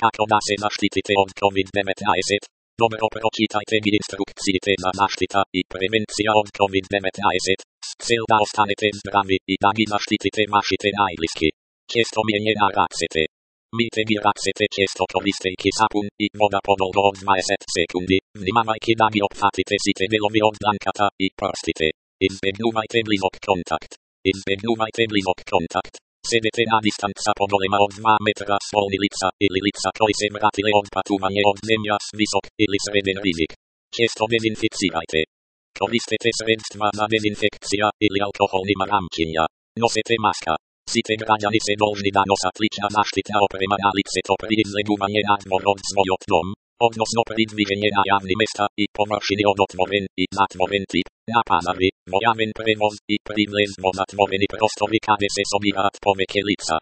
kako da se zaštitite od COVID-19. Dobro pročitajte mi instrukcijite za zaštita i prevencija od COVID-19. Cel da ostanete zdravi i da vi zaštitite vašite najbliski. Često mijenjena racete. Myjte mi racete često koristejki sapun i voda podolgo od 20 sekundi. Vнимавajte da vi opfatite site delovi od dlankata i prstite. Izbjegnuvajte blizok kontakt. Izbjegnuvajte blizok kontakt. Sedete na distanca podolema od 2 metra svolni lica ili lica koji se vratile od patovanje od zemlja s visok ili sreden rizik. Često dezinficirajte. Koristite sredstva za dezinfekcija ili alkoholnima ramčinja. Nosete maska. Site građani se dolžni da nosat lična zaštita oprema na lice to pri izleguvanje razmor od svojot dom, odnosno pri dviženje na javni mesta i površini od otvoren i zatvoren tip, na panavi, vojaven prevoz i pri vlezmo zatvoreni prostovi kade se sobirat poveke lica.